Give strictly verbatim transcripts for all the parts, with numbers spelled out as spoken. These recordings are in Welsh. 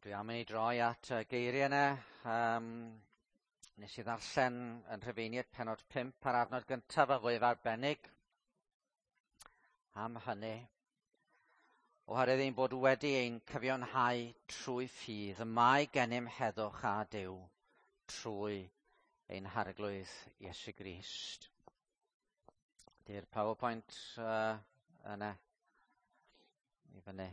Dwi am i ni droi at y geiriau yna. Um, nes i ddarllen yn Rhufeiniaid pennod pump ar adnod gyntaf a fwyaf arbennig am hynny. Oherwydd ein bod wedi ein cyfiawnhau trwy ffydd, y mae gennym heddwch â Duw trwy ein Harglwydd Iesu Grist. Di'r PowerPoint uh, yna i fyny.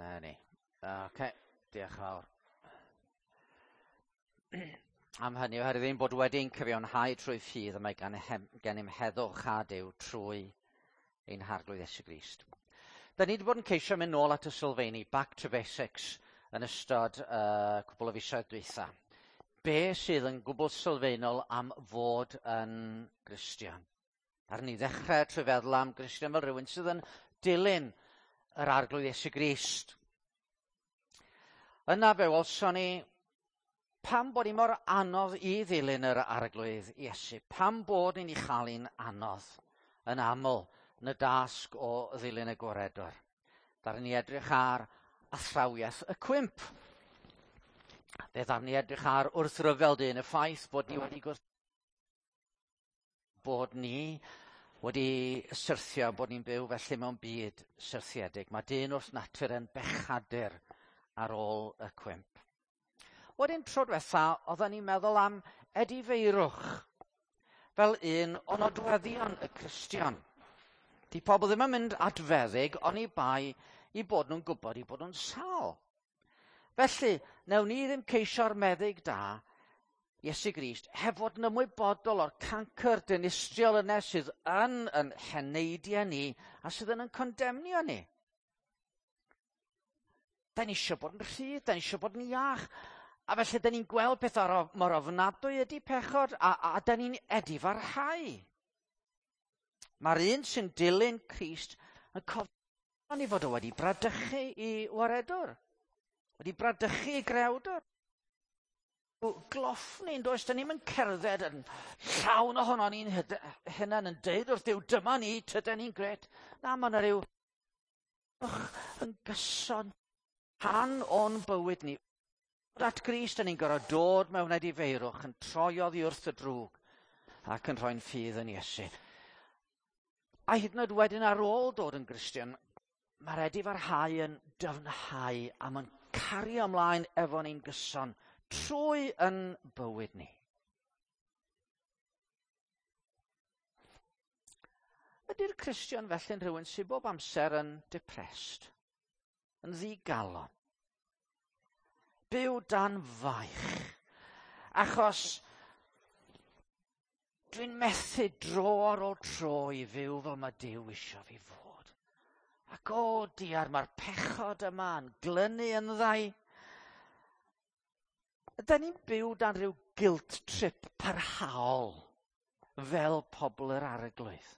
Na ni. Oce, diolch yn fawr. Am hynny, oherwydd ein bod wedi'n cyfiawnhau trwy ffydd, y mae gan gennym heddwch â Duw trwy ein Harglwydd Iesu Grist. Da ni wedi bod yn ceisio mynd nôl at y sylfeini, back to basics, yn ystod uh, cwbl o fisoedd dwytha. Be sydd yn gwbl sylfaenol am fod yn Gristion? Ar ni ddechrau trwy feddwl am Gristion fel rhywun sydd yn dilyn yr Arglwydd Iesu Grist. Yna fe welson ni pam bod ni mor anodd i ddilyn yr Arglwydd Iesu, pam bod ni'n ei chael hi'n anodd yn aml yn y dasg o ddilyn y Gwaredwr. Ddaru ni edrych ar athrawiaeth y cwymp. Fe ddaru ni edrych ar wrthryfel dyn, y ffaith bod ni wedi gwrth... bod ni wedi syrthio, bod ni'n byw felly mewn byd syrthiedig. Mae dyn wrth natur yn bechadur ar ôl y cwymp. Wedyn tro diwetha, oedden ni'n meddwl am edifeirwch fel un o nodweddion y Cristion. Di pobl ddim yn mynd at feddyg oni bai i bod nhw'n gwybod i bod nhw'n sâl. Felly, newn ni ddim ceisio'r meddyg da, Iesu Grist, heb fod yn ymwybodol o'r cancr dinistriol yna sydd yn yn heneidiau ni a sydd yn yn condemnio ni. Da ni eisiau bod yn rhydd, da ni eisiau bod yn iach. A felly, da ni'n gweld pethau mor ofnadwy ydy pechod, a, a, a da ni'n edifarhau. Mae'r un sy'n dilyn Crist yn cofio ni fod o wedi bradychu i waredwr, wedi bradychu i grewdwr. Gloffni, yn does, da ni'n mynd cerdded yn llawn ohono ni'n hunain yn deud wrth Duw, dyma ni, tyda ni'n gret. Na, mae yna ryw yn gyson rhan o'n bywyd ni. At Grist, da ni'n gorfod dod mewn edifeirwch yn troi oddi wrth y drwg ac yn rhoi'n ffydd yn Iesu. A hyd yn oed wedyn ar ôl dod yn Gristion, mae'r edifarhau yn dyfnhau a mae'n cario ymlaen efo ni'n gyson trwy yn bywyd ni. Ydy'r Cristion felly'n rhywun sydd bob amser yn depressed, yn ddigalon, byw dan faich, achos dwi'n methu dro ar ôl tro i fyw fel mae Duw isio fi fod. Ac o diar, mae'r pechod yma yn glynu yn ddau. Ydy ni'n byw dan rhyw guilt trip parhaol fel pobl yr Arglwydd?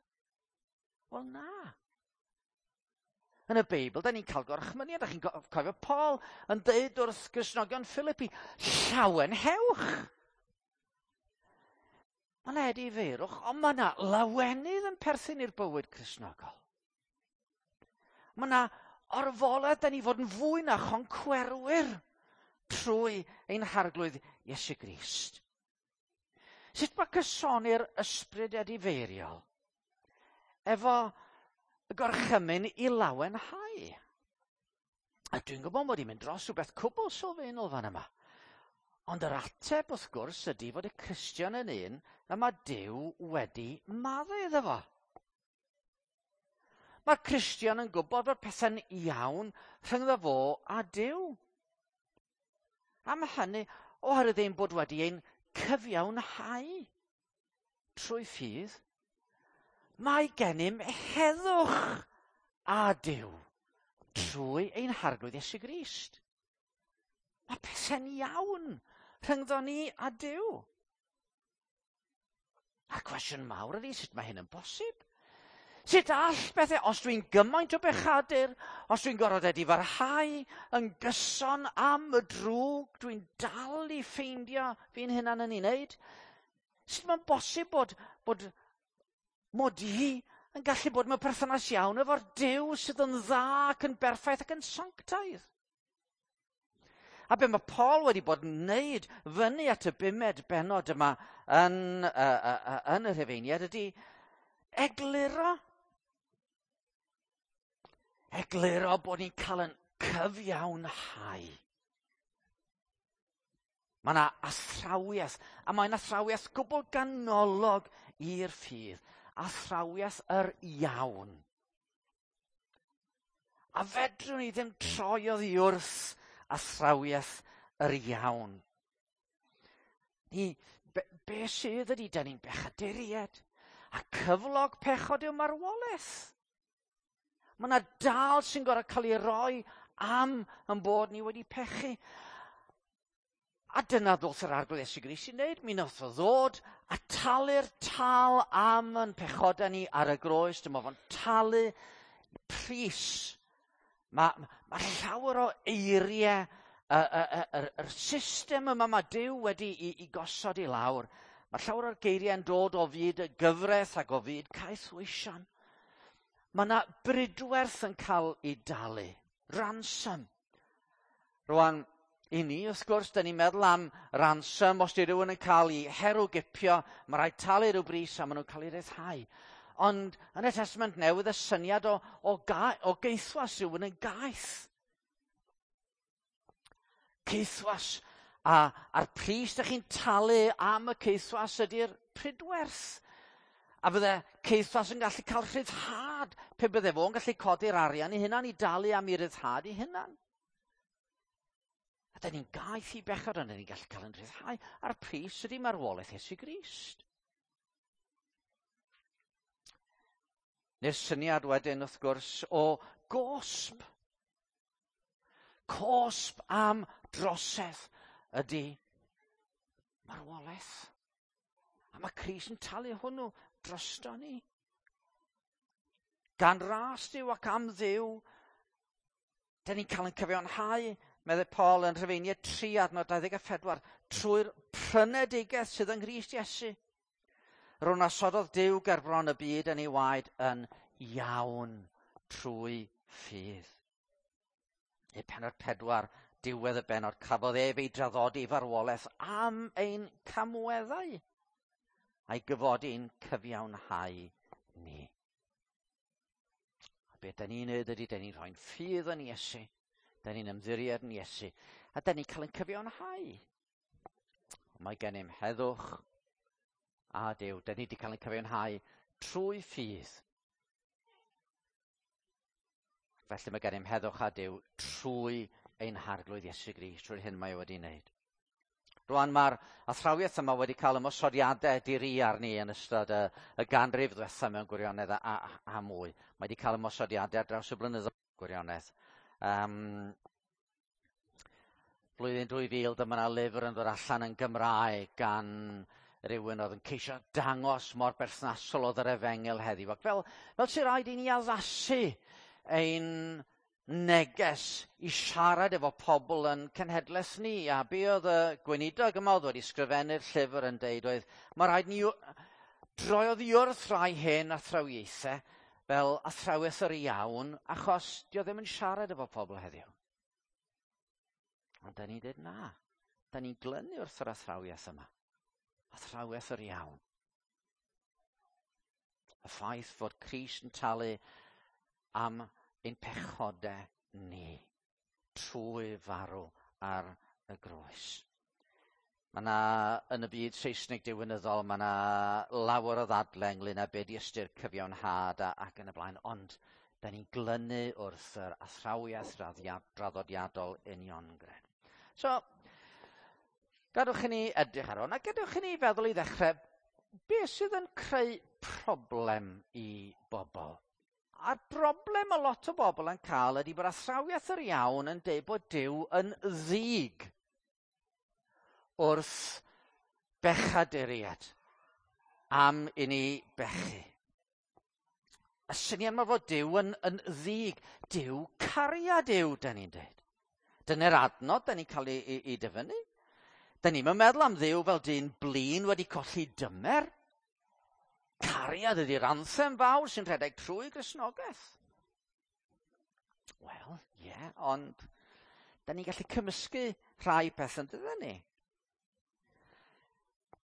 Wel na. Yn y Beibl, da ni'n cael gorchmyniad. Da chi'n cofio Paul yn deud wrth Gristnogion Philippi, llawenhewch. Mae yna edifeirwch, ond mae yna lawenydd yn perthyn i'r bywyd Cristnogol. Mae yna orfoledd, da ni fod yn fwy na choncwerwyr trwy ein Harglwydd Iesu Grist. Sut mae cysoni'r ysbryd edifeiriol efo y gorchymyn i lawenhau? A dwi'n gwybod mod i'n mynd dros rhywbeth cwbl sylfaenol fan yma. Ond yr ateb wrth gwrs ydy fod y Cristion yn un y mae Duw wedi maddau iddo fo. Mae'r Cristion yn gwybod bod pethau'n iawn rhyngddo fo a Duw. Am hynny, oherwydd ein bod wedi ein cyfiawnhau trwy ffydd, mae gennym heddwch â Duw trwy ein Harglwydd Iesu Grist. Mae pethau'n iawn rhyngddo ni a Duw. A'r cwestiwn mawr ydy, sut mae hyn yn bosib? Sut all bethau, os dwi'n gymaint o bechadur, os dwi'n gorfod edifarhau yn gyson am y drwg, dwi'n dal i ffeindio fi'n hunan yn ei wneud, sut mae'n bosib bod, bod mod i yn gallu bod mewn perthynas iawn efo'r Duw sydd yn dda ac yn berffaith ac yn sanctaidd? A be mae Paul wedi bod yn wneud fyny at y bumed bennod yma yn, uh, uh, uh, yn y Rhufeiniaid ydy egluro. Egluro bod ni'n cael yn cyfiawnhau. Mae yna athrawiaeth, a mae'n athrawiaeth gwbl ganolog i'r ffydd. Athrawiaeth yr iawn. A fedrwn ni ddim troi oddi wrth athrawiaeth yr iawn. Ni, be, be sydd ydy, da ni'n bechaduriaid, a cyflog pechod yw marwolaeth. Mae yna dal sy'n gorfod cael ei roi am yn bod ni wedi pechu. A dyna ddoth yr Arglwydd Iesu Grist i wneud. Mi nath o ddod a talu'r tal am yn pechodau ni ar y groes. Dyma fo'n talu pris. Mae, mae llawer o eiriau, y, y, y, y, yr system yma mae Duw wedi i, i gosod i lawr. Mae llawer o'r geiriau yn dod o fyd y gyfraith ac o fyd caethweision. Mae yna bridwerth yn cael ei dalu. Ransom. Rwan, i ni, wrth gwrs, da ni'n meddwl am ransom. Os di rhywun yn cael ei herwgipio, mae rhaid talu rhyw bris a maen nhw'n cael ei ryddhau. Ond yn y Testament Newydd, y syniad o, o, ga, o geithwas, rhywun yn gaeth. Caethwas. A, a'r pris da chi'n talu am y caethwas ydy'r pridwerth. A fydde caethwas yn gallu cael rhyddhad pe bydde fo'n gallu codi'r arian i hunan i dalu am ei ryddhad i hunan. A da ni'n gaeth i bechod, ond da ni'n gallu cael yn rhyddhau. A'r pris ydy marwolaeth Iesu Grist. Neu'r syniad wedyn, wrth gwrs, o gosb. Cosb am drosedd ydy marwolaeth. A mae Crist yn talu hwnnw drosto ni. Gan ras Duw ac am Dduw, da ni'n cael yn cyfiawnhau, meddai Paul yn Rhufeiniaid tri adnod dau ddeg a phedwar, trwy'r prynedigaeth sydd yng Nghrist Iesu. Rwy'n asododd Duw gerbron y byd yn ei waed yn iawn trwy ffydd. E pennod pedwar, diwedd y bennod, cafodd ef ei draddodi farwolaeth am ein camweddau a'i gyfodi'n cyfiawnhau ni. A beth da ni'n neud ydy, da ni'n rhoi'n ffydd yn Iesu, da ni'n ymddiried yn Iesu, a da ni'n cael ein cyfiawnhau. Mae gennym heddwch a Duw. Da ni wedi cael ein cyfiawnhau trwy ffydd. Felly mae gennym heddwch a Duw trwy ein Harglwydd Iesu Grist, trwy'r hyn mae o wedi wneud. Rwan mae'r athrawiaeth yma wedi cael ymosodiadau diri arni yn ystod y, y ganrif ddiwethaf mewn gwirionedd a, a, a mwy. Mae wedi cael ymosodiadau ar draws y blynyddoedd gwirionedd. Um, blwyddyn dwy fil, dyma yna lyfr yn dod allan yn Gymraeg gan rhywun oedd yn ceisio dangos mor berthnasol oedd yr efengyl heddiw. Ac fel, fel sy'n rhaid i ni addasu ein neges i siarad efo pobl yn cenhedlaeth ni. A be oedd y gweinidog yma oedd wedi sgrifennu'r llyfr yn deud oedd, mae rhaid ni droi oddi wrth rai hen athrawiaethau fel athrawiaeth yr iawn, achos dio ddim yn siarad efo pobl heddiw. Ond da ni'n dweud na, da ni'n glynu wrth yr athrawiaeth yma. Athrawiaeth yr iawn. Y ffaith fod Crist yn talu am ein pechodau ni trwy farw ar y groes. Mae yna, yn y byd Saesneg diwinyddol, mae yna lawer o ddadle ynglyn â be di ystyr cyfiawnhad a, ac yn y blaen, ond da ni'n glynu wrth yr athrawiaeth draddodiadol uniongred. So, gadwch i ni edrych ar hwn, a gadwch i ni feddwl i ddechrau, beth sydd yn creu problem i bobl? A'r broblem mae lot o bobl yn cael ydy bod athrawiaeth yr iawn yn deud bod Duw yn ddig wrth bechaduriaid am i ni bechu. Y syniad mae fod Duw yn, yn ddig. Duw cariad yw, da ni'n dweud. Dyna'r adnod da ni'n cael ei, ei, ei dyfynnu. Da ni'n meddwl am Dduw fel dyn blin wedi colli dymer. Cariad ydy'r anthem fawr sy'n rhedeg trwy Gristnogaeth. Wel, ie, yeah, ond da ni'n gallu cymysgu rhai pethau, yn ni?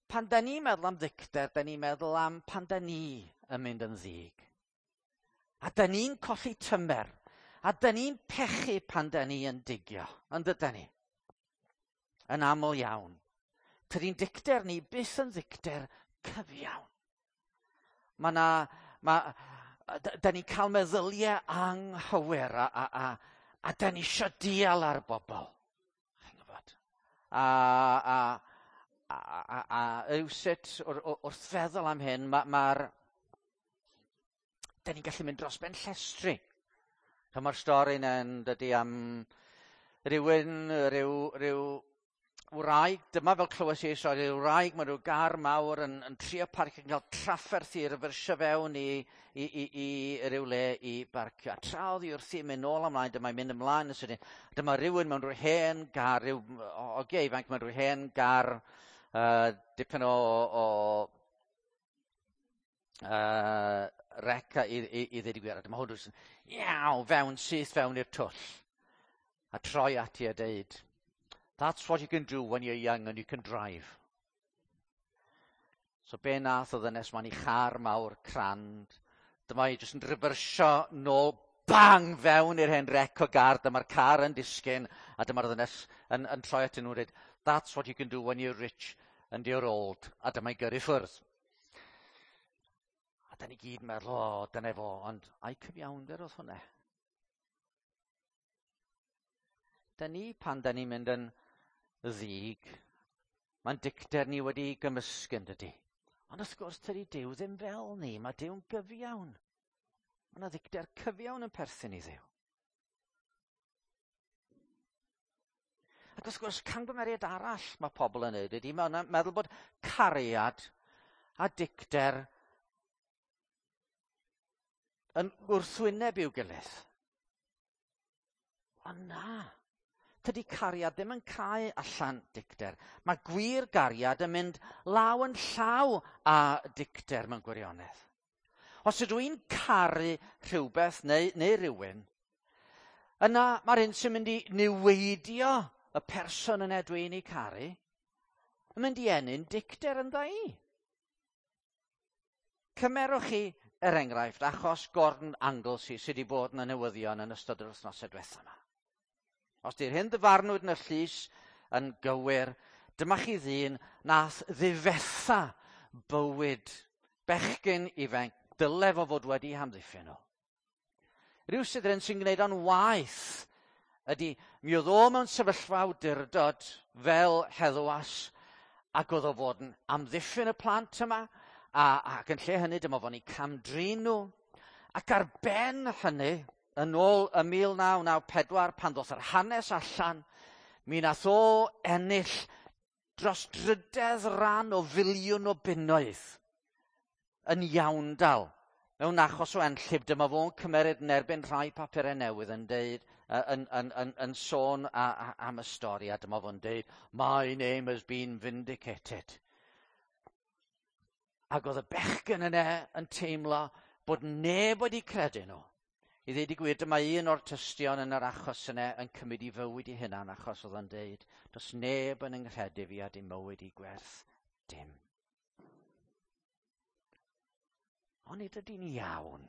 Pan da ni'n meddwl am ddicter, da ni'n meddwl am pan da ni yn mynd yn ddig. A da ni'n colli tymer. A da ni'n pechu pan da ni yn digio. Yn dyda ni? Yn aml iawn. Tydi'n dicter ni byth yn ddicter cyfiawn. Mae na, ma, da, da ni'n cael meddyliau anghywir a, a, a, a da ni isio dial ar bobl. Chi'n gwybod? A, a, a, a, a rywsut wrth feddwl am hyn, mae'r... Ma da ni'n gallu mynd dros ben llestri. Mae'r stori yna'n dydy am rhywun, rhyw, rhyw wraig, dyma fel clywes i stori, rhyw wraig mewn rhyw gar mawr yn, yn trio parcio, yn cael trafferth i refersio fewn i, i, i, i ryw le i barcio. A tra oedd hi wrthi mynd nôl ymlaen, dyma'n mynd ymlaen yn sydyn. Dyma rhywun mewn rhyw hen gar, rhyw ogia ifanc mewn rhyw hen gar, uh, dipyn o, o uh, reca i, i, i ddweud y gwir. A dyma hwn yn iaw, fewn, syth fewn i'r twll. A troi ati a deud, "That's what you can do when you're young and you can drive." So be nath o ddynes ma'n i char mawr crand. Dyma hi jyst yn refersio nôl, bang, fewn i'r hen wreck o gar. Dyma'r car yn disgyn, a dyma'r ddynes yn, yn troi atyn nhw'n dweud, "That's what you can do when you're rich and you're old." A dyma'i gyrru ffwrdd. A da ni gyd yn meddwl, o, dyna fo, ond ai cyfiawnder oedd hwnna? Da ni, pan da ni'n mynd yn ddig, mae'n dicter ni wedi gymysgu yn dydy. Ond wrth gwrs, tydi Duw ddim fel ni, mae Duw'n gyfiawn. Mae yna ddicter cyfiawn yn perthyn i Dduw. Ac wrth gwrs, camgymeriad arall mae pobl yn neud ydy, mae'n meddwl bod cariad a dicter yn wrthwyneb i'w gilydd. Ond na, tydi cariad ddim yn cau allan dicter. Mae gwir gariad yn mynd law yn llaw â dicter mewn gwirionedd. Os ydw i'n caru rhywbeth neu, neu rhywun, yna mae'r un sy'n mynd i niweidio y person yna dwi'n ei caru, yn mynd i ennyn dicter ynddo i. Cymerwch chi, er enghraifft, achos Gordon Anglesey sydd wedi bod yn y newyddion yn ystod yr wythnosau diwethaf yma. Os di'r hyn ddyfarnwyd yn y llys yn gywir, dyma chi ddyn nath ddifetha bywyd bechgyn ifanc, dyle fo fod wedi hamddiffyn nhw. Rhyw sydd yn sy'n gwneud o'n waith ydy, mi oedd o mewn sefyllfa awdurdod fel heddwas, ac oedd o fod yn amddiffyn y plant yma, a, ac yn lle hynny dyma fo'n eu camdrin nhw. Ac ar ben hynny, yn ôl y mil naw naw pedwar, pan ddoth yr hanes allan, mi nath o ennill dros drydedd ran o filiwn o bunnoedd yn iawndal. Mewn achos o enllib, dyma fo'n cymeryd yn erbyn rhai papurau newydd yn deud, yn, yn, yn, yn sôn a, a, am y stori, a dyma fo'n deud, "My name has been vindicated." Ac oedd y bechgyn yna yn teimlo bod neb wedi credu nhw. I ddweud y gwir, dyma un o'r tystion yn yr achos yna yn cymryd i fywyd i hunan, achos oedd o'n deud, does neb yn yng nghredu fi a dim mywyd i gwerth dim. Ond nid ydy'n iawn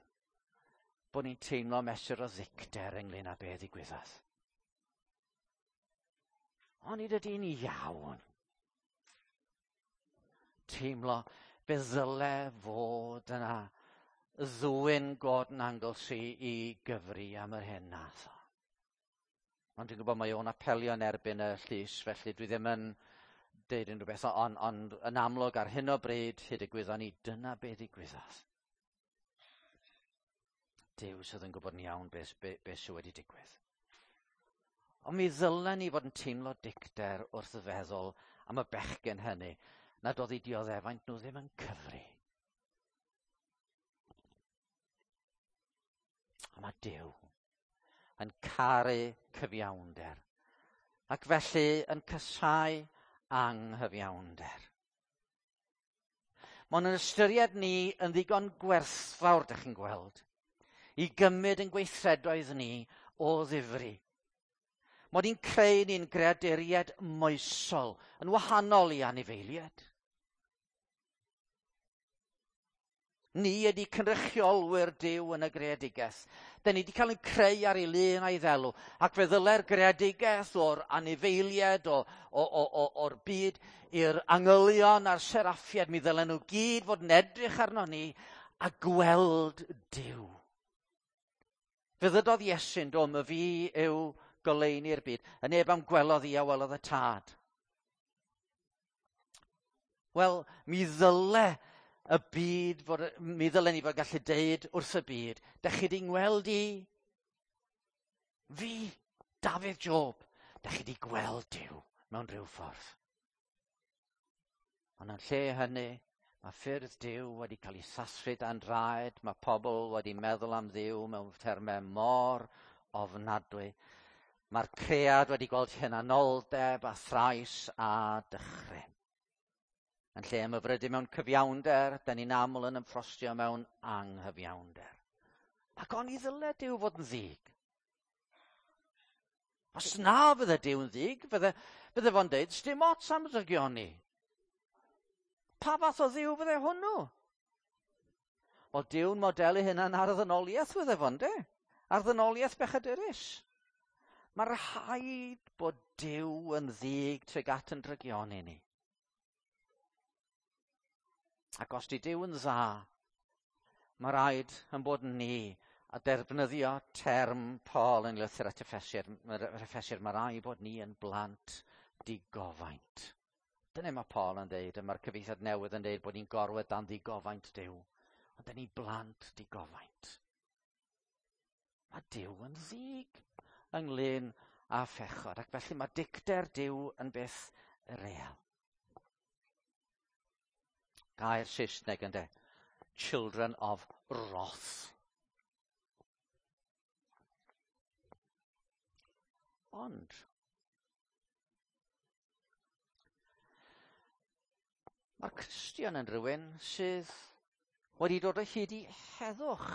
bod ni'n teimlo mesur o ddicter ynglyn â be ddigwyddodd. Ond nid ydy'n iawn teimlo fe ddyle fod yna ddwyn Gordon Anglesey i gyfri am yr hyn nath o. Ond dwi'n gwybod mae o'n apelio yn erbyn y llys, felly dwi ddim yn deud unrhyw beth, ond, ond yn amlwg ar hyn o bryd, hyd y gwyddon ni, dyna be ddigwyddodd. Duw sydd yn gwybod yn iawn beth be, be sydd wedi digwydd. Ond mi ddylen ni fod yn teimlo dicter wrth feddwl am y bechgyn hynny, nad oedd eu dioddefaint nhw ddim yn cyfri. A mae Duw yn caru cyfiawnder, ac felly yn casáu anghyfiawnder. Mae nhw'n ystyried ni yn ddigon gwerthfawr, dych chi'n gweld, i gymryd yn gweithredoedd ni o ddifri. Mod i'n creu ni'n greaduriaid moesol, yn wahanol i anifeiliaid. Ni ydy cynrychiolwyr Duw yn y greadigaeth. Da ni wedi cael ein creu ar ei lun a'i ddelw, ac fe ddyle'r greadigaeth o'r anifeiliaid, o, o, o, o, o'r byd, i'r angylion a'r seraffiaid, mi ddylen nhw gyd fod yn edrych arno ni a gweld Duw. Fe ddydodd Iesu'n do, my fi yw goleuni'r byd. Y neb am gwelodd i a welodd y tad. Wel, mi ddyle y byd, fod, mi ddylen ni fod gallu deud wrth y byd, dych chi di ngweld i? Fi, Dafydd Job, dych chi di gweld Duw mewn rhyw ffordd. Ond yn lle hynny, mae ffyrdd Duw wedi cael ei sathru dan draed, mae pobl wedi meddwl am Dduw mewn termau mor ofnadwy. Mae'r cread wedi gweld hunanoldeb a thrais a dychryn. Yn lle ymhyfrydu mewn cyfiawnder, da ni'n aml yn ymffrostio mewn anghyfiawnder. Ac oni ddyle Duw fod yn ddig. Os na fydde Duw yn ddig, fydde, fydde fo'n deud, sdim ots am drygioni. Pa fath o Dduw fydde hwnnw? Wel, Duw'n modelu hynna'n ar y ddynoliaeth fydde fo'n de? Ar ddynoliaeth bechadurus. Mae rhaid bod Duw yn ddig tuag at yn drygioni ni. Ac os di Duw yn dda, mae rhaid yn bod ni a defnyddio term Paul yn lythyr at Effesiaid, Effesiaid, mae rhaid bod ni yn blant digofaint. Dyna mae Paul yn dweud, a mae'r cyfieithiad newydd yn dweud bod ni'n gorwedd dan ddigofaint Duw. Ond dyn ni blant digofaint. Mae Duw yn ddig ynglyn â phechod, ac felly mae dicter Duw yn beth real. Gair Saesneg ynde, children of wrath. Ond, mae'r Cristion yn rhywun sydd wedi dod o hyd i heddwch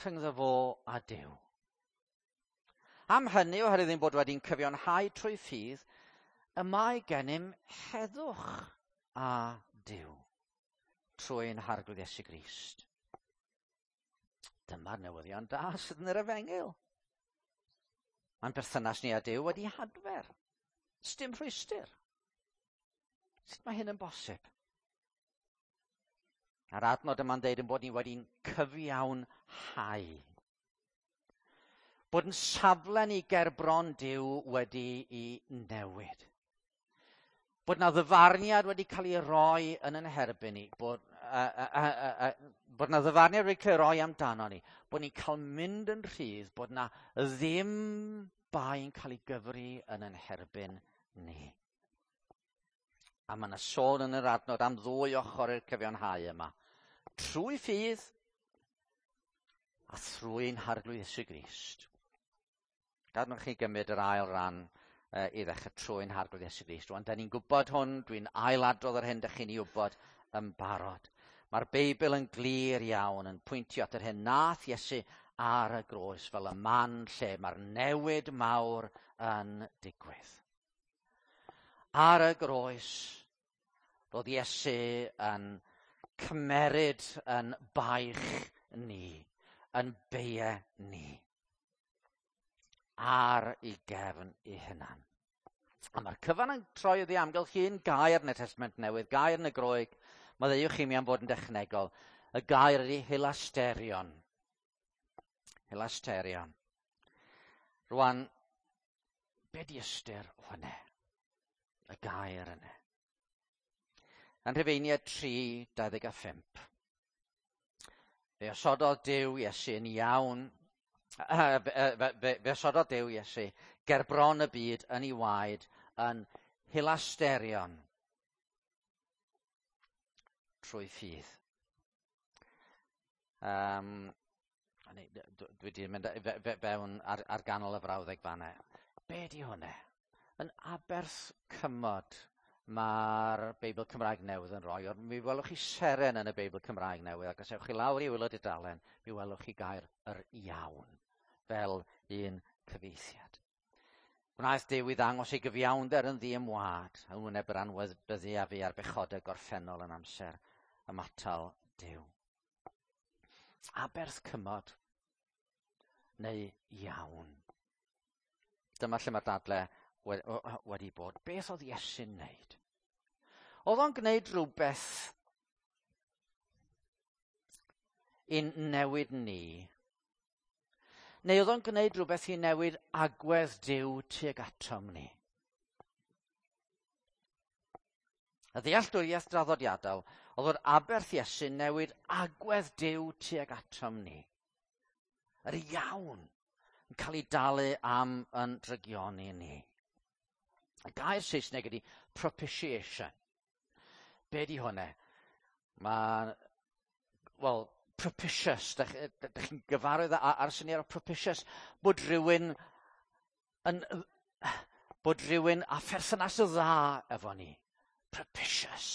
rhyngddo fo a Duw. Am hynny, oherwydd ein bod wedi'n cyfiawnhau trwy ffydd, y mae gennym heddwch a Duw trwy'n Harglwydd Iesu Grist. Dyma'r newyddion da sydd yn yr efengyl. Mae'n berthynas ni â Duw wedi hadfer. Sdim rhwystr. Sut mae hyn yn bosib? A'r adnod yma'n deud yn bod ni wedi'n cyfiawnhau. Bod yn safle ni ger bron Duw wedi i newid. Bod na ddyfarniad wedi cael ei roi yn yn herbyn ni, bod, uh, uh, uh, uh, bod na ddyfarniad wedi cael ei roi amdano ni, bod ni'n cael mynd yn rhydd, bod na ddim bai yn cael ei gyfri yn yn herbyn ni. A mae yna sôn yn yr adnod am ddwy ochr i'r cyfiawnhau yma. Trwy ffydd a thrwy'n Harglwydd Iesu Grist. Gadwch chi gymryd yr ail ran i ddechrau trwy'n Harglwydd Iesu Grist. Rwan, da ni'n gwybod hwn, dwi'n ailadrodd yr hyn dych chi'n ei wybod yn barod. Mae'r Beibl yn glir iawn yn pwyntio at yr hyn nath Iesu ar y groes fel y man lle mae'r newid mawr yn digwydd. Ar y groes, roedd Iesu yn cymeryd yn baich ni, yn beie ni, ar ei gefn ei hunan. A mae'r cyfan yn troi oddi amgylch un gair yn y Testament Newydd, gair yn y Groeg. Maddeuwch chi mi am fod yn dechnegol. Y gair ydy hilasterion. Hilasterion. Rwan, be di ystyr hwnna? Y gair yna. Yn Rhufeiniaid tri dau ddeg a phump. Fe osododd Duw Iesu yn iawn. Fe, fe, fe osododd Duw Iesu ger bron y byd yn ei waed yn hilasterion trwy ffydd. Um, Dwi wedi mynd fewn ar, ar ganol y frawddeg fanna. Be di hwnna? Yn aberth cymod mae'r Beibl Cymraeg Newydd yn rhoi, ond mi welwch chi seren yn y Beibl Cymraeg Newydd, ac os ewch chi lawr i waelod y dalen, mi welwch chi gair yr iawn, fel un cyfieithiad. Gwnaeth Duw i ddangos ei gyfiawnder yn ddiymwad, yn wyneb yr anwybyddu a fu ar bechodau gorffennol yn amser ymatal Duw. Aberth cymod neu iawn. Dyma lle mae'r dadle wedi bod. Beth oedd Iesu'n wneud? Oedd o'n gwneud rhywbeth i'n newid ni? Neu oedd o'n gwneud rhywbeth i newid agwedd Duw tuag atom ni? Y ddealltwriaeth draddodiadol oedd bod aberth Iesu'n newid agwedd Duw tuag atom ni. Yr iawn yn cael ei dalu am yn drygioni ni. Y gair Saesneg ydy propitiation. Be di hwnna? Mae, wel, propitious, dych, dych chi'n gyfarwydd ar syniad o propitious, bod rhywun yn, bod rhywun â pherthynas dda efo ni. Propitious.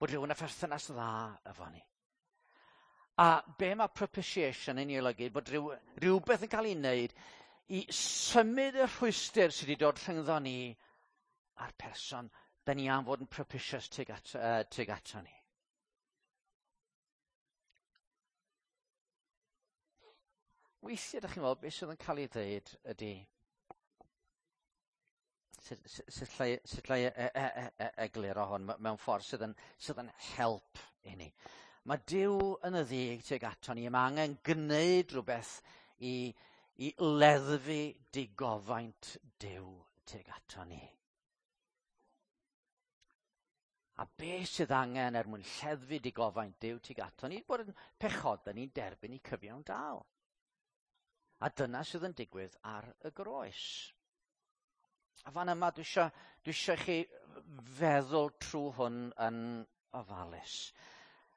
Bod rhywun â pherthynas dda efo ni. A be mae propitiation yn ei olygu? Bod rhyw, rhywbeth yn cael ei wneud i symud y rhwystr sydd wedi dod rhyngddo ni a'r person da ni am fod yn propitious tuag at, uh, tuag ato ni. Weithiau, ydych chi'n weld, beth sydd yn cael ei ddeud ydy, sut, sut, llai, sut llai e, e, e, e, egluro hwn mewn ffordd sydd yn, sydd yn help i ni. Mae Duw yn y ddig tuag ato ni, mae angen gwneud rhywbeth i, i leddfu digofaint Duw tuag ato ni. A be sydd angen er mwyn lleddfu digofaint Duw tuag ato ni, bod yn pechodau ni'n derbyn i cyfiawn dal. A dyna sydd yn digwydd ar y groes. A fan yma dwi isio, dwi isio chi feddwl trwy hwn yn ofalus.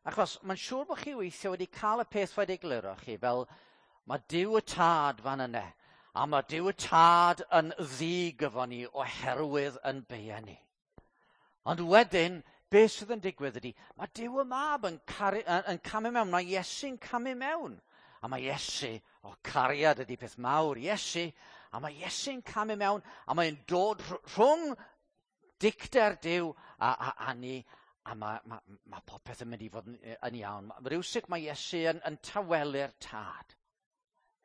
Achos mae'n siŵr bod chi weithio wedi cael y peth wedi egluro chi fel mae Duw y Tad fan yna, a mae Duw y Tad yn ddig efo ni oherwydd yn beia ni. Ond wedyn, beth sydd yn digwydd ydy, mae Duw y Mab yn, caru, yn, yn camu mewn, mae Iesu'n camu mewn. A mae Iesu, o cariad ydy peth mawr, Iesu, a mae Iesu'n camu mewn, a mae'n dod rhwng dicter Duw a, a, a ni, a mae, mae, mae popeth yn mynd i fod yn, yn iawn. Rywsut mae Iesu yn, yn tawelu'r Tad,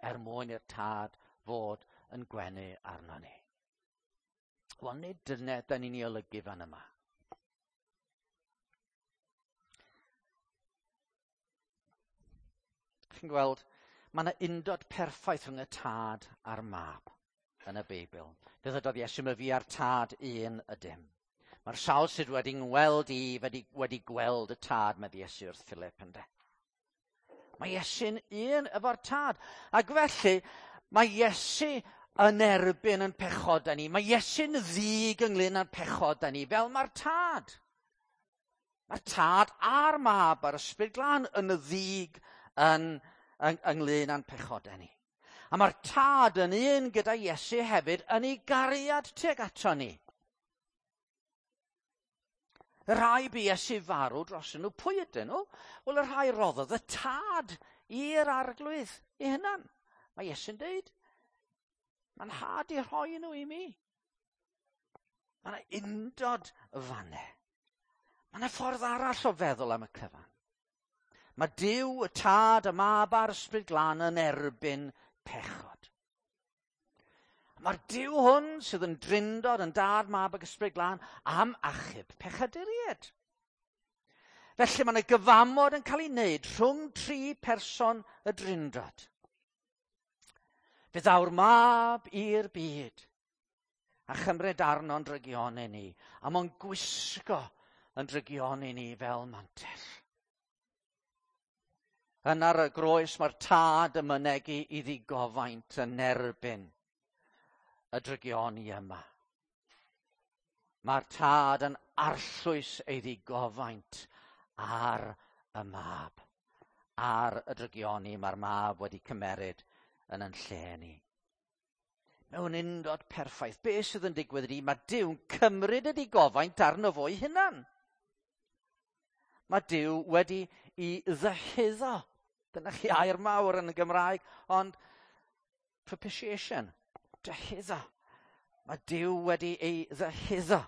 er mwyn i'r Tad fod yn gwenu arno ni. Wel, nid dyna da ni'n ei olygu fan yma. Chi'n gweld, mae yna undod perffaith rhwng y Tad a'r Mab yn y Beibl. Fe ddydodd Iesu, mae fi a'r Tad un ydym. Mae'r sawl sydd wedi ngweld i wedi, wedi gweld y Tad, medde Iesu wrth Philip, ynde. Mae Iesu'n un efo'r Tad. Ac felly, mae Iesu yn erbyn yn pechodau ni. Mae Iesu'n ddig ynglyn â'n pechodau ni, fel mae'r Tad. Mae'r Tad a'r Mab a'r Ysbryd Glân yn y ddig yn, yn, ynglyn â'n pechodau ni. A mae'r Tad yn un gyda Iesu hefyd yn ei gariad tuag ato ni. Y rhai bu Iesu farw dros nhw, pwy ydyn nhw? Wel, y rhai roddodd y Tad i'r Arglwydd ei hunan. Mae Iesu'n deud, mae'n nhad i rhoi nhw i mi. Mae yna undod fanne. Mae yna ffordd arall o feddwl am y cyfan. Mae Duw, y Tad, y Mab a'r Ysbryd Glân yn erbyn pechod. Mae'r Duw hwn sydd yn drindod yn Dad, Mab ac Ysbryd Glân am achub pechaduriaid. Felly mae yna gyfamod yn cael ei wneud rhwng tri person y drindod. Fe ddaw'r Mab i'r byd a chymryd arno'n drygioni ni, a mo'n gwisgo yn drygioni ni fel mantell. Yn ar y groes mae'r Tad yn mynegi i ddigofaint yn erbyn y drygioni yma. Mae'r Tad yn arllwys ei ddigofaint ar y Mab. ar y drygioni mae'r mab wedi cymeryd yn yn lle ni. Mewn undod perffaith, be sydd yn digwydd ydy, mae Duw'n cymryd y digofaint arno fo'i hunan. Mae Duw wedi i ddyhuddo. Dyna chi air mawr yn y Gymraeg, ond propitiation, dyhuddo. Mae Duw wedi ei ddyhuddo.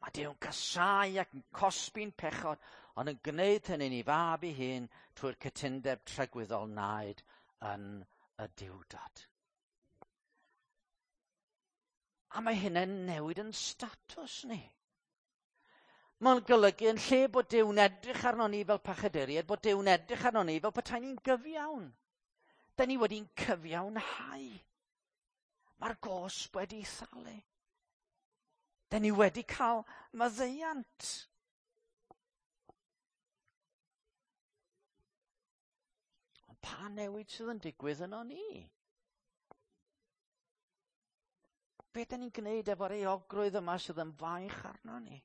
Mae Duw'n casáu ac yn cosbi'n pechod, ond yn gwneud hynny'n ei fab ei hun trwy'r cytundeb tragwyddol naed yn y Duwdod. A mae hynny'n newid yn statws ni. Mae'n golygu yn lle bod Duw'n edrych arno ni fel pechaduriaid, bod Duw'n edrych arno ni fel petai ni'n gyfiawn. Da ni wedi'n cyfiawnhau. Mae'r gosb wedi thalu. Da ni wedi cael maddeuant. Ond pa newid sydd yn digwydd yno ni? Be da ni'n gwneud efo'r euogrwydd yma sydd yn faich arno ni?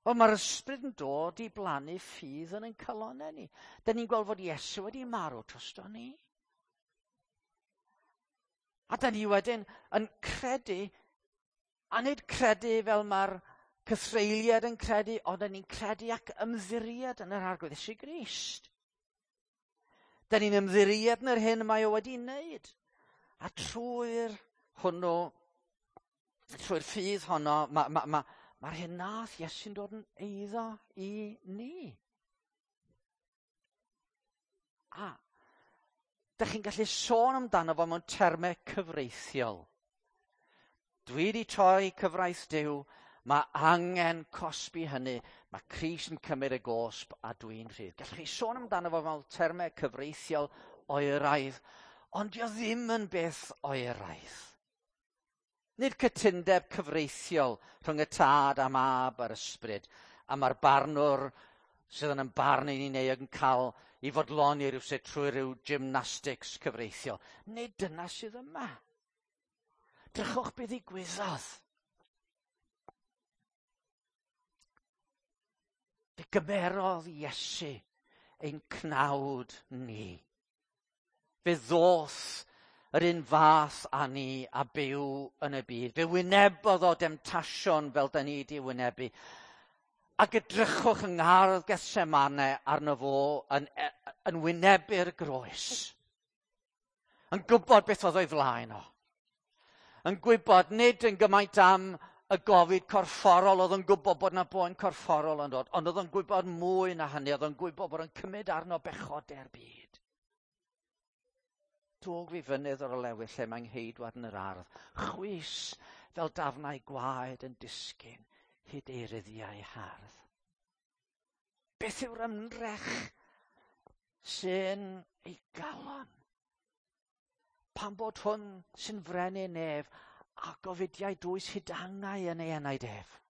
Wel, mae'r ysbryd yn dod i blannu ffydd yn ein calonnau ni. Da ni'n gweld fod Iesu wedi marw drosto ni. A da ni wedyn yn credu, a nid credu fel mae'r cythreuliad yn credu, ond da ni'n credu ac ymddiried yn yr Arglwydd Iesu Grist. Da ni'n ymddiried yn yr hyn mae o wedi wneud. A trwy'r hwnnw, trwy'r ffydd honno, mae ma, ma, mae'r hyn nath Iesu'n dod yn eiddo i ni. A, dych chi'n gallu sôn amdano fo mewn termau cyfreithiol. Dwi wedi torri cyfraith Duw, mae angen cosbi hynny. Mae Crist yn cymryd y gosb a dwi'n rhydd. Gallwch chi sôn amdano fo mewn termau cyfreithiol oeraidd, ond dio ddim yn beth oeraidd. Nid cytundeb cyfreithiol rhwng y tad a mab a'r ysbryd, a mae'r barnwr sydd yn barnu ni neu yn cael i fodloni rhywsut trwy rhyw gymnastics cyfreithiol. Nid dyna sydd yma. Drychwch beth ddigwyddodd. Fe gymerodd Iesu ein cnawd ni. Fe ddoth yr un fath â ni a byw yn y byd. Fe wynebodd o demtasiwn fel da ni di wynebu. Ac edrychwch yng ngardd Gethsemane arno fo yn, yn wynebu'r groes. Yn gwybod beth oedd o'i flaen o. Yn gwybod nid yn gymaint am y gofid corfforol, oedd yn gwybod bod yna boen corfforol yn dod, ond oedd yn gwybod mwy na hynny, oedd yn gwybod bod yn cymryd arno bechodau'r byd. Dwg fi fynydd o'r olewydd lle mae'n ngheidwad yn yr ardd. Chwys fel dafnau gwaed yn disgyn hyd ei ryddiau hardd. Beth yw'r ymdrech sy'n ei galon? Pan bod hwn sy'n frenin nef a gofidiau dwys hyd angau yn ei enaid ef.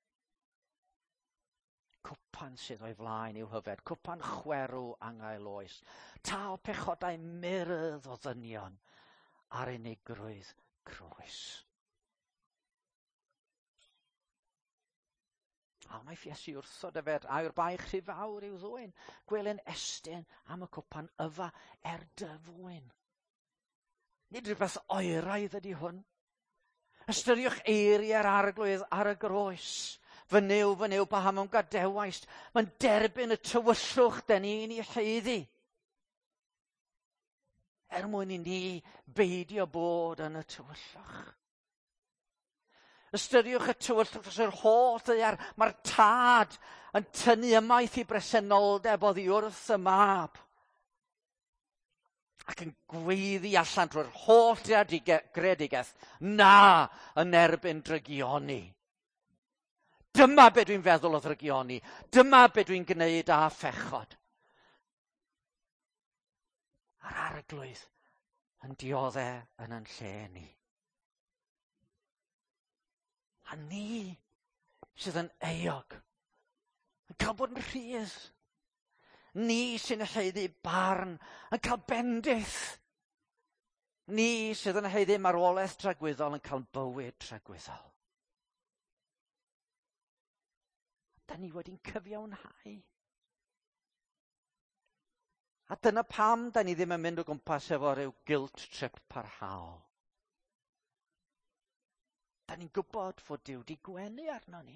Cwpan sydd o'i flaen i'w hyfed, cwpan chwerw angau oes, tal pechodau myrdd o ddynion ar unigrwydd croes. A wnaeth Iesu wrthod yfed, a yw'r baich rhy fawr i'w ddwyn, gwelyn estyn am y cwpan yfa er dyfwyn. Nid rhywbeth oeraidd ydy hwn. Ystyriwch eiriau'r Arglwydd ar y groes. Fy Nuw, fy Nuw, paham a'm gadewaist. Mae'n derbyn y tywyllwch da ni'n ei haeddu. Er mwyn i ni beidio bod yn y tywyllwch. Ystyriwch y tywyllwch dros yr holl ddaear. Mae'r tad yn tynnu ymaith i bresenoldeb oddi wrth y mab. Ac yn gweiddi allan drwy'r holl greadigaeth, na yn erbyn drygioni. Dyma be dwi'n feddwl o ddrygioni. Dyma be dwi'n gwneud â phechod. A'r Arglwydd yn diodde yn yn lle ni. A ni sydd yn euog, yn cael bod yn rhydd. Ni sy'n haeddu barn, yn cael bendith. Ni sydd yn haeddu marwolaeth tragwyddol yn cael bywyd tragwyddol. Da ni wedi'n cyfiawnhau. A dyna pam da ni ddim yn mynd o gwmpas efo rhyw guilt trip parhaol. Da ni'n gwybod fod Duw 'di gwenu arno ni.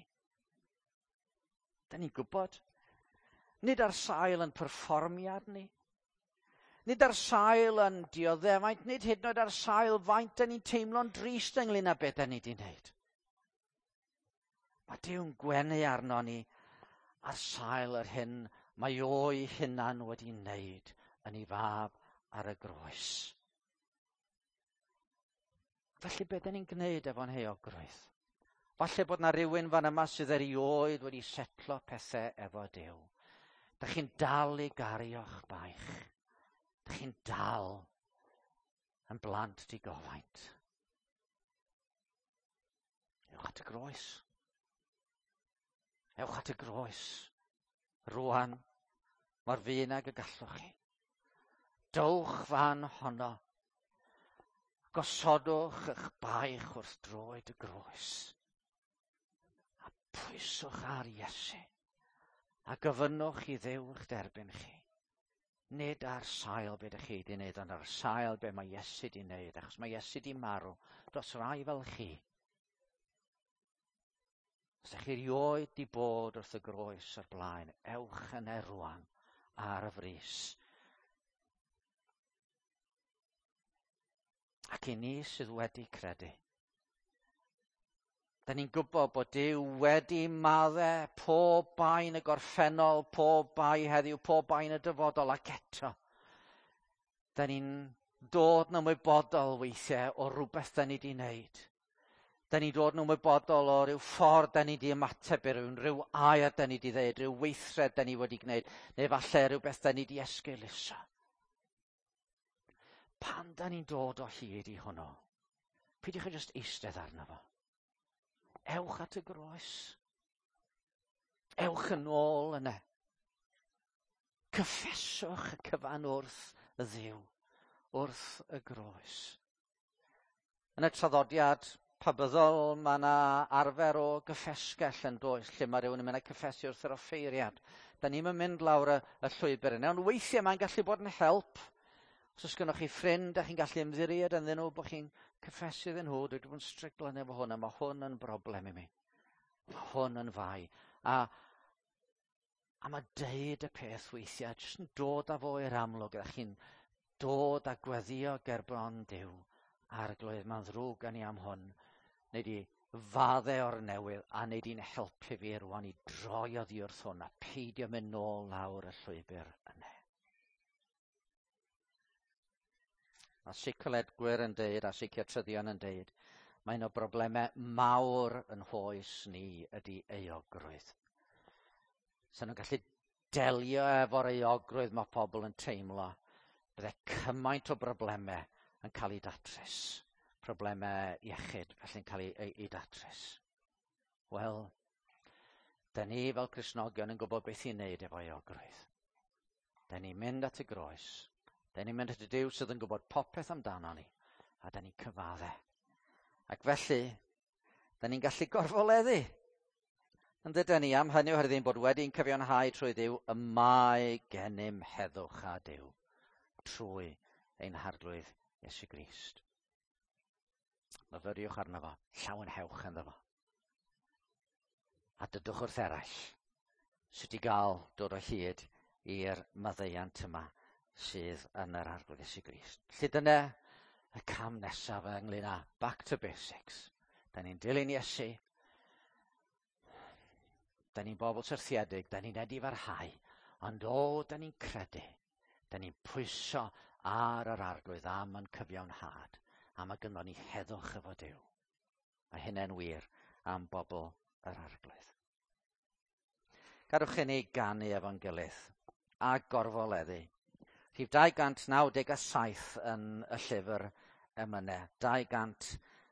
Da ni'n gwybod. Nid ar sail yn perfformiad ni. Nid ar sail yn dioddefaint, nid hyd yn oed ar sail faint da ni'n teimlo'n drist ynglyn â beth da ni 'di wneud. Mae Duw'n gwenu arno ni ar sail yr hyn mae o'i hunan wedi wneud yn ei fab ar y groes. Felly beth da ni'n gwneud efo'n heuogrwydd? Falle bod na rhywun fan yma sydd erioed wedi setlo pethau efo Duw. Da chi'n dal i gario'ch baich. Da chi'n dal yn blant digofaint. Ewch at y groes. Ewch at y groes. Rwan, mor fuan ag y gallwch chi. Dowch fan honno. Gosodwch eich baich wrth droed y groes. A pwyswch ar Iesu. A gofynnwch i Dduw eich derbyn chi. Nid ar sail be ydych chi wedi wneud, ond ar sail be mae Iesu wedi wneud, achos mae Iesu wedi marw dros rai fel chi. Os ydych chi erioed wedi bod wrth y groes o'r blaen, ewch yna rwan ar y frys. Ac i ni sydd wedi credu, da ni'n gwybod bod Duw wedi maddau pob bai yn y gorffennol, pob bai heddiw, pob bai yn y dyfodol, ac eto da ni'n dod yn ymwybodol weithiau o rhywbeth da ni wedi wneud. Da ni'n dod yn ymwybodol o ryw ffordd da ni wedi ymateb i rywun, rhyw air da ni wedi ddeud, rhyw weithred da ni wedi gwneud, neu falle rhywbeth da ni wedi esgeuluso. Pan da ni'n dod o hyd i hwnnw, peidiwch â jyst eistedd arno fo. Ewch at y groes. Ewch yn ôl yna. Cyffeswch y cyfan wrth y Dduw, wrth y groes. Yn y traddodiad pabyddol, mae yna arfer o gyffesgell yn does, lle mae rhywun yn mynd â cyffesu wrth yr offeiriad. Da ni'm yn mynd lawr y, y llwybr yna, ond weithiau mae'n gallu bod yn help. Os oes gennych chi ffrind a chi'n gallu ymddiried ynddyn nhw, bod chi'n cyffesu iddyn nhw, dwi wedi bod yn stryglo efo hwn, a mae hwn yn broblem i mi. Mae hwn yn fai. A, a mae deud y peth weithiau, jyst yn dod â fo i'r amlwg, a chi'n dod a gweddio gerbron Duw. Arglwydd, mae'n ddrwg gen i am hwn. Neu di fadde o'r newydd, a neu di'n helpu fi rwan i droi oddi wrth hwn, a peidio mynd nôl lawr y llwybr yna. Mae seicolegwyr yn deud, a seiciatryddion yn deud, mae un o broblemau mawr yn hoes ni ydy euogrwydd. So nhw'n gallu delio efo'r euogrwydd mae pobl yn teimlo, bydde cymaint o broblemau yn cael eu datrys. Problemau iechyd felly'n cael eu, eu, eu datrys. Wel, da ni fel Cristnogion yn gwybod beth i'n neud efo euogrwydd. Da ni'n mynd at y groes. Da ni'n mynd at y Duw sydd yn gwybod popeth amdano ni, a da ni'n cyfadde. Ac felly, da ni'n gallu gorfoleddu. Yn dydyn ni, am hynny oherwydd ein bod wedi'n cyfiawnhau trwy Dduw, y mae gennym heddwch â Duw trwy ein Harglwydd Iesu Grist. Myfyriwch arno fo, llawenhewch ynddo fo. A dydwch wrth eraill sut i gael dod o hyd i'r maddeuant yma sydd yn yr Arglwydd Iesu Grist. Felly dyna y cam nesaf ynglyn â back to basics. Da ni'n dilyn Iesu. Da ni'n bobl syrthiedig, da ni'n edifarhau, ond o, da ni'n credu. Da ni'n pwyso ar yr Arglwydd am yn cyfiawnhad, a mae gynnon ni heddwch efo Duw. Mae hynny'n wir am bobl yr Arglwydd. Gadwch i ni ganu efo'n gilydd a gorfoleddu. Rhif dau gant naw deg a saith yn y llyfr emynau. dau gant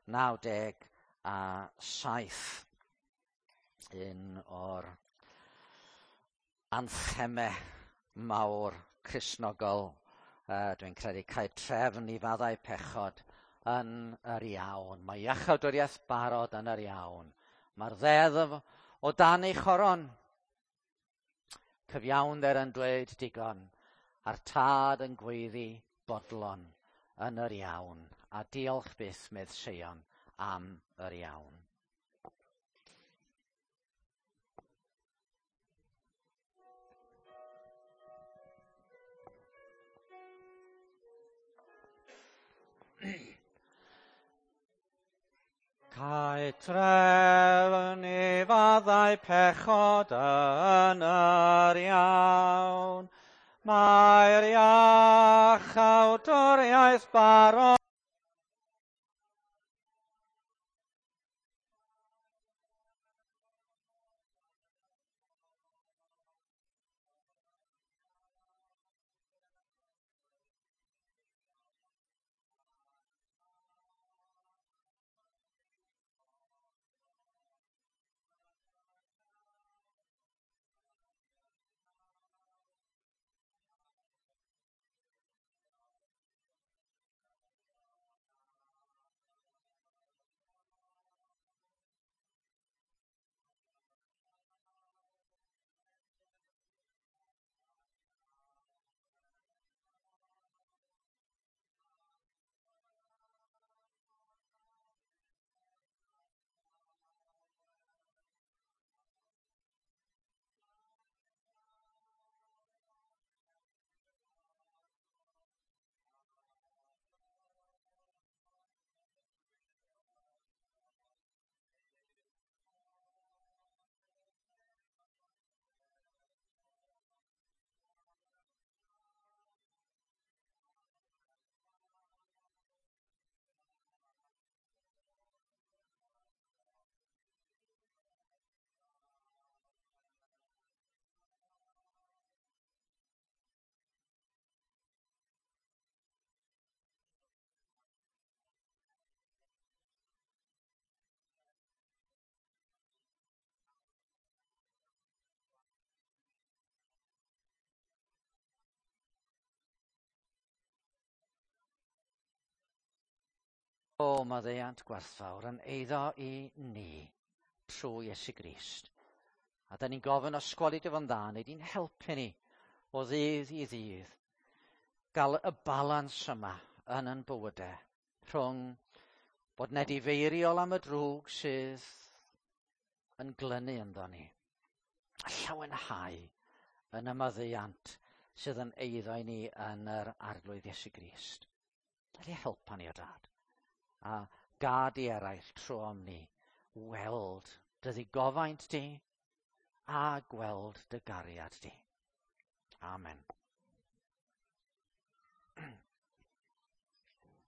naw deg a saith. Un o'r anthemau mawr Cristnogol, uh, dwi'n credu, cael trefn i faddau pechod yn yr iawn. Mae iachawdwriaeth barod yn yr iawn. Mae'r ddeddf o dan ei choron. Cyfiawnder yn dweud digon, A'r tad yn gweiddi bodlon yn yr iawn. A diolch byth, medd Seion, am yr iawn. Cae trefn i faddau pechod yn yr iawn. Mae'r iachawdwriaeth barod. O, maddeuant gwerthfawr yn eiddo i ni trwy Iesu Grist. A da ni'n gofyn os gweli dy fo'n dda, neu di'n helpu ni o ddydd i ddydd gael y balans yma yn yn bywydau rhwng bod yn edifeiriol am y drwg sydd yn glynu ynddo ni, a llawenhau yn y maddeuant sydd yn eiddo i ni yn yr Arglwydd Iesu Grist. Felly helpa ni o Dad, a gad i eraill trwom ni weld dy ddigofaint di a gweld dy gariad di. Amen.